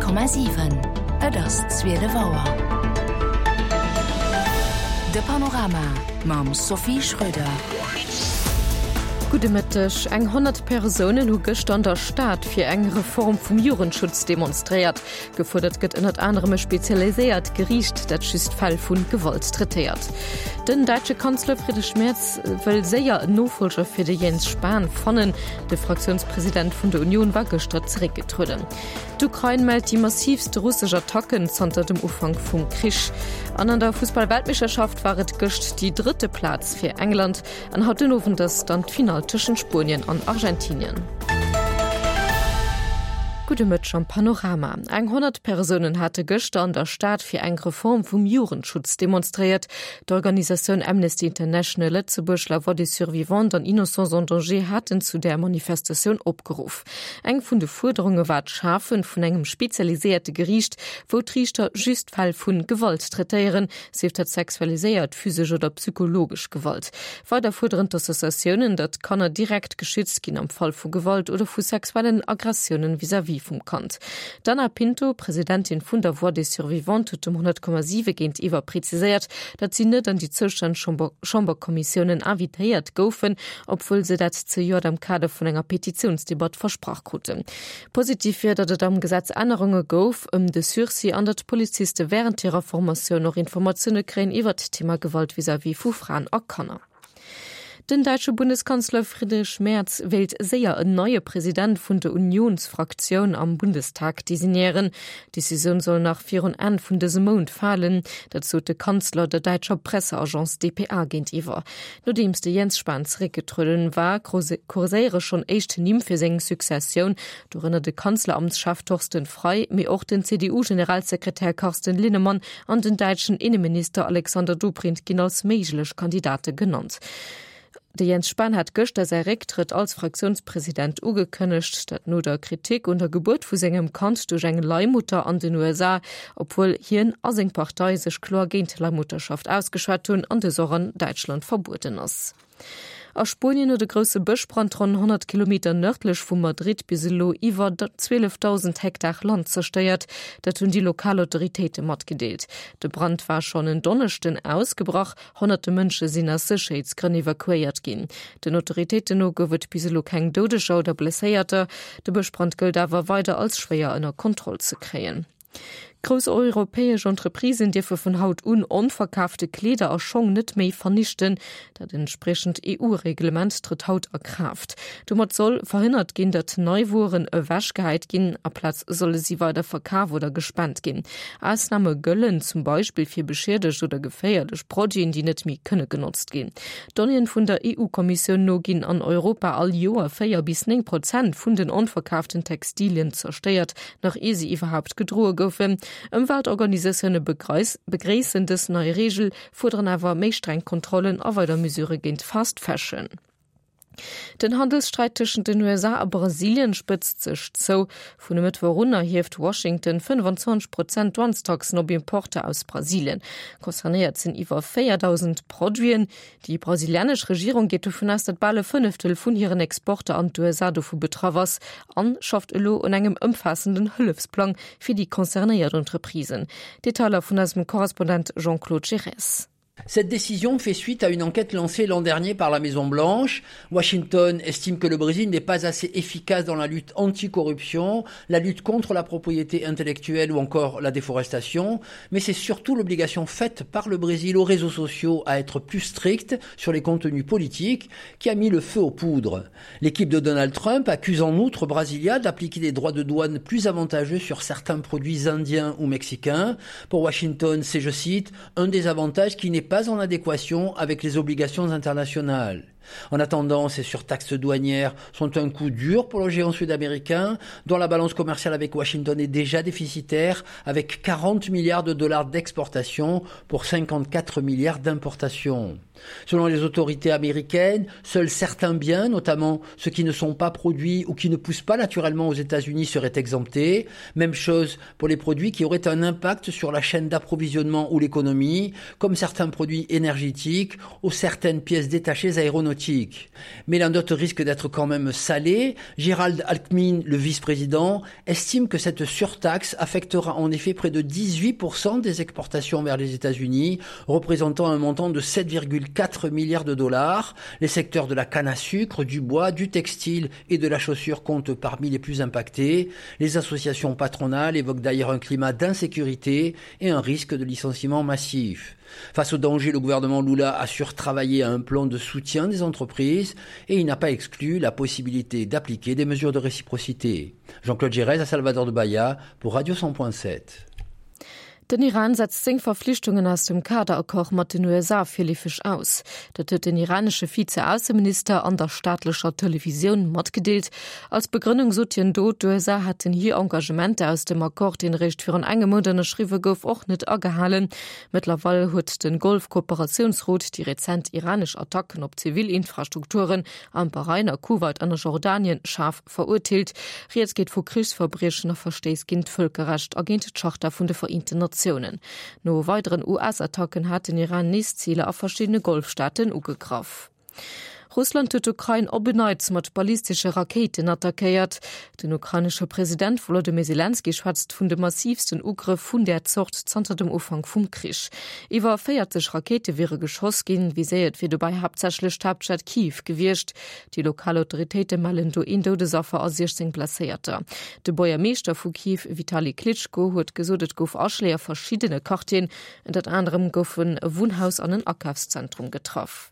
100,7 Et ass 12 Auer. De Panorama mam Sophie Schröder. Gudde Mëtteg. Eng 100 Persounen hu gëschter an der Stad fir eng Reform vum Jugendschutz demonstréiert. Gefuerdert gëtt ënnert anerem e spezialiséiert Geriicht, dat just Fäll vu Gewalt traitéiert. Den däitsche Kanzler Friedrich Merz wëll séier en Nofollger fir de Jens Spahn fannen. De Fraktiounspresident vun der Union war gëschter zeréckgetrueden. D'Ukrain mellt déi massiivst russesch Attacken zanter dem Ufank vum Krich. An an der Fussball-Weltmeeschterschaft war et gëscht déi drëtte Plaz fir England. An haut den Owend ass dann d'Finall tëschent Spuenien an Argentinien. Gudde Mëtteg am Panorama. Eng 100 Persounen hate gëschter an der Stad fir eng Reform vum Jugendschutz demonstréiert. D'Organisatioun Amnesty International Lëtzebuerg, La Voix des Survivantes an Innocents en Danger haten zu där Manifestatioun opgeruff. Eng vun de Fuerderunge war d'Schafe vun engem spezialiséierte Geriicht, wou d'Riichter just Fäll vu Gewalt traitéieren, sief dat sexualiséiert, physesch oder psychologesch Gewalt. Weider fuerderen d'Associatiounen, datt Kanner direkt geschützt ginn am Fall vu Gewalt oder vu sexuellen Aggressiounen vis-à-vis vum Kand. D'Ana Pinto, Presidentin vun der Voix des Survivantes, huet dem 100,7 géintiwwer preziséiert, datt si net an déi zoustänneg Chamberkommissiounen invitéiert goufen, obwuel se dat zejoert am Kader vun enger Petitiounsdebatt versprach kruten. Positiv wier, datt et am Gesetz Ännerunge gouf ëm de Sursis an datt d'Poliziste wärend hirer Formatioun och Informatioune kréien iwwert d'Thema Gewalt vis-à-vis vu Fraen a Kanner. Den däitsche Bundeskanzler Friedrich Merz wéilt séier en neie President vun der Unionsfraktioun am Bundestag designéieren. D'Decisioun soll nach virun Enn vun dësem Mount falen. Dat sot de Kanzler der däitscher Presseagence dpa géintiwwer. Nodeems de Jens Spahn zeréckgetrueden war, kurséiere schonn éischt Nimm fir seng Successioun, dorënner de Kanzleramtschef Thorsten Frei, mee och den CDU-Generalsekretär Carsten Linnemann an den däitschen Inneminister Alexander Dobrindt ginn als méiglech Kandidate genannt. De Jens Spahn hat gëschter säi Récktrëtt als Fraktiounspresident ugekënnegt, dat no der Kritik un der Gebuert vu sengem Kand duerch eng Leihmutter an den USA, obwuel hien a seng Partei sech kloer géint Leihmutterschaft ausgeschwat hunn an dës och an Däitschland verbueden ass. A Spuenien huet e grousse Bëschbrand ronn 100 Kilometer nërdlech vu Madrid bis elo iwwer 12.000 Hektar Land zerstéiert. Dat hunn déi lokal Autoritéite matgedeelt. De Brand war schonn en Donneschden ausgebrach. Honnerte Mënsche sinn aus Sécherheetsgrënn evakuéiert ginn. Den Autoritéiten no gouf et bis elo keng Doudeger oder Blesséierter. De Bëschbrand gëllt awer weider als schwéier ënner Kontroll ze kréien. Grouss europäesch Entreprisen dierfe vun haut un onverkaafte Kleeder a Schong net méi vernichten. Dat entspriechend EU-Reglement trëtt haut a Kraaft. Domat soll verhënnert ginn, datt nei Wueren ewechgehäit ginn. Aplaz solle si weider verkaf oder gespent ginn. Ausname gëllen zum Beispill fir beschiedegt oder geféierlech Produiten, déi net méi kënne genotzt ginn. Donnéeën vun der EU-Kommissioun no ginn an Europa all Joer 4 bis 9 Prozent vun den onverkaaften Textilien zerstéiert. nach ier se iwwerhaupt gedroe goufen. Ëmweltorganisatioune begréissen dës nei Reegel, fuerderen awer méi streng Kontrollen a weider Mesurë géint Fast Fashion. Den Handelssträit tëschent den USA a Brasilien spëtzt sech zou. Vun e Mëttwoch un erhieft Washington 25 Prozent Douanestaxen op Importer aus Brasilien. Concernéiert sinn iwwer 4.000 Produiten. Déi brasilianesch Regierung geet dovun aus, datt bal e Fënneftel vun hiren Exporter an d'USA dovu betraff ass an schafft elo un engem ëmfaassenden Hëllefsplang fir déi concernéiert Entreprisen. Detailer vun eisem Korrespondent Jean-Claude Giresse. Cette décision fait suite à une enquête lancée l'an dernier par la Maison Blanche. Washington estime que le Brésil n'est pas assez efficace dans la lutte anticorruption, la lutte contre la propriété intellectuelle ou encore la déforestation, mais c'est surtout l'obligation faite par le Brésil aux réseaux sociaux à être plus stricte sur les contenus politiques qui a mis le feu aux poudres. L'équipe de Donald Trump accuse en outre Brasilia d'appliquer des droits de douane plus avantageux sur certains produits indiens ou mexicains. Pour Washington, c'est, je cite, un des avantages qui n'est pas en adéquation avec les obligations internationales. En attendant, ces surtaxes douanières sont un coup dur pour le géant sud-américain, dont la balance commerciale avec Washington est déjà déficitaire, avec 40 milliards de dollars d'exportation pour 54 milliards d'importations. Selon les autorités américaines, seuls certains biens, notamment ceux qui ne sont pas produits ou qui ne poussent pas naturellement aux États-Unis, seraient exemptés. Même chose pour les produits qui auraient un impact sur la chaîne d'approvisionnement ou l'économie, comme certains produits énergétiques ou certaines pièces détachées aéronautiques. patriotique. Mais la note risque d'être quand même salée. Gérald Alckmin, le vice-président, estime que cette surtaxe affectera en effet près de 18% des exportations vers les États-Unis, représentant un montant de 7,4 milliards de dollars. Les secteurs de la canne à sucre, du bois, du textile et de la chaussure comptent parmi les plus impactés. Les associations patronales évoquent d'ailleurs un climat d'insécurité et un risque de licenciement massif. Face au danger, le gouvernement Lula a surtravaillé un plan de soutien des entreprises et il n'a pas exclu la possibilité d'appliquer des mesures de réciprocité. Jean-Claude Gérez à Salvador de Bahia pour Radio 100.7. Den Iran setzt seng Verflichtungen aus dem Kaderaccord mat den USA virleefeg aus. Dat huet den iranesche Vize-Ausseminister an der staatlecher Televisioun matgedeelt. Als Begrënnung sot hien do, d'USA hätten hir Engagementer aus dem Accord, deen eréischt virun engem Mount ënnerschriwwe gouf, och net agehalen. Mëttlerweil huet de Golfkooperatiounsrot déi rezent iranesch Attacken op zivil Infrastrukturen am Bahrain, a Kuwait an a Jordanien schaarf verurteelt. Rieds geet vu Krichsverbriechen a Verstéiss géint d'Vëlkerrecht a géint d'Charta vun de Vereenten Natiounen. No weideren US-Attacken hat den Iran nees Ziler a verschiddene Golfstaaten ugegraff. Russland huet d'Ukrain op en Neits mat ballistesche Rakéiten attackéiert. Den ukrainesche President Wolodymyr Selenskyj schwätzt vun de massiivsten Ugrëff vun där Zort zanter dem Ufank vum Krich. Iwwer 40 Rakéite wiere geschoss ginn, viséiert wier dobäi haaptsächlech d'Haaptstad Kiew gewiescht. Déi lokal Autoritéite mellen do een Doudesaffer a 16 Blesséierter. De Buergermeeschter vu Kiew Vitali Klitschko huet gesot, et gouf Aschléi a verschiddene Quartieren. Ënnert anerem goufen e Wunnhaus an en Akafszentrum getraff.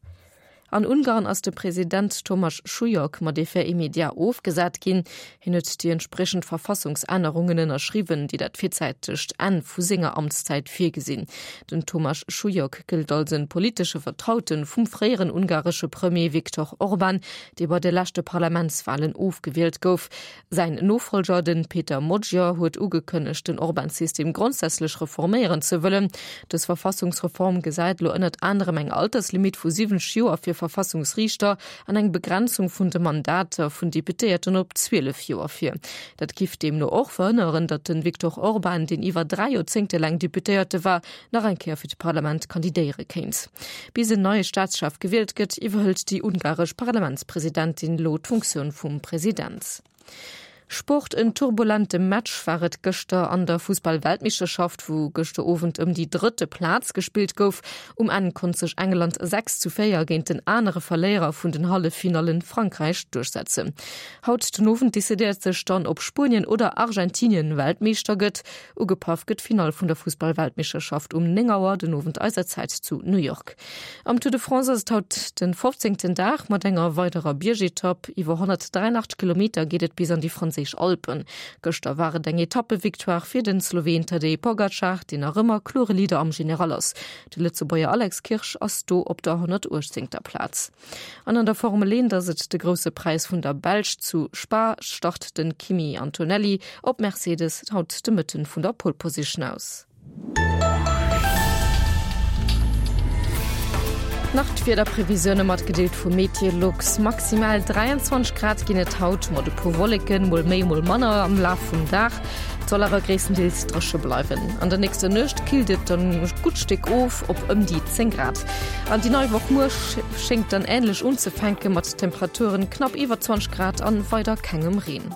An Ungarn ass de President Tomasz Sulyok mat Effet immédiat ofgesat ginn. Hien huet déi entspriechend Verfassungsännerungen ënnerschriwwen, déi dat virzäitegt Enn vu senger Amtszäit virgesinn. Den Tomasz Sulyok gëllt als e politesche Vertraute vum fréieren ungaresche Premier Viktor Orban, dee bei de leschte Parlamentswalen ofgewielt gouf. Säin Nofollger, de Peter Magyar, huet ugekënnegt, den Orban-System grondsätzlech reforméieren ze wëllen. Dës Verfassungsreform gesäit elo ënnert anerem eng Alterslimitt vu 70 Joer fir Verfassungsriichter an eng Begrenzung vun de Mandater vun Deputéierten op 12 Joer vir. Dat giff deemno och verhënneren, datt de Viktor Orban, deen iwwer 3 Joerzéngte laang Deputéierte war, nach eng Kéier fir d'Parlament kandidéiere kéint. Bis en neie Staatschef gewielt gëtt, iwwerhëlt déi ungaresch Parlamentspresidentin elo d'Funktioun vum President. Sport, En turbulente Match war et gëschter an der Fussball-Weltmeeschterschaft, wou gëschter Owend ëm déi drëtte Plaz gespillt gouf. Um Enn konnt sech England 6 zu 4 géint den anere Verléierer vun den Halleffinallen, Frankräich, duerchsetzen. Haut den Owend decidéiert sech dann, ob Spuenien oder Argentinien Weltmeeschter gëtt. Ugepaff gëtt d'Finall vun der Fussball-Weltmeeschterschaft um 9 Auer den Owend eiser Zäit zu New York. Am Tour de France ass et haut den 15. Dag mat enger weiderer Biergetapp. Iwwer 183 Kilometer geet et bis an déi franséisch Alpen. Gëschter war et eng Etappevictoire fir den Sloween Tadej Pogacar, deen nach ëmmer klore Leader am General ass. De Lëtzebuerger Alex Kirsch ass do op der 118. Plaz. An an der Formel 1 ass et de Grousse Präis vun der Belsch zu Spa, start den Kimi Antonelli op Mercedes haut de Mëtten vun der Pole Position aus. Nach d'Wiederprevisioune matgedeelt vu Meteolux, Maximal 23 Grad ginn et haut, mat e puer Wolleken, mol méi mol manner am Laf vum Dag. Et soll awer gréisstendeels dréche bleiwen. An der nächster Nuecht killt et dann e gutt Stéck of op ëm déi 10 Grad. An déi nei Woch muer schéngt dann änlech unzefänke mat Temperaturen knapp iwwer 20 Grad an weider kengem Reen.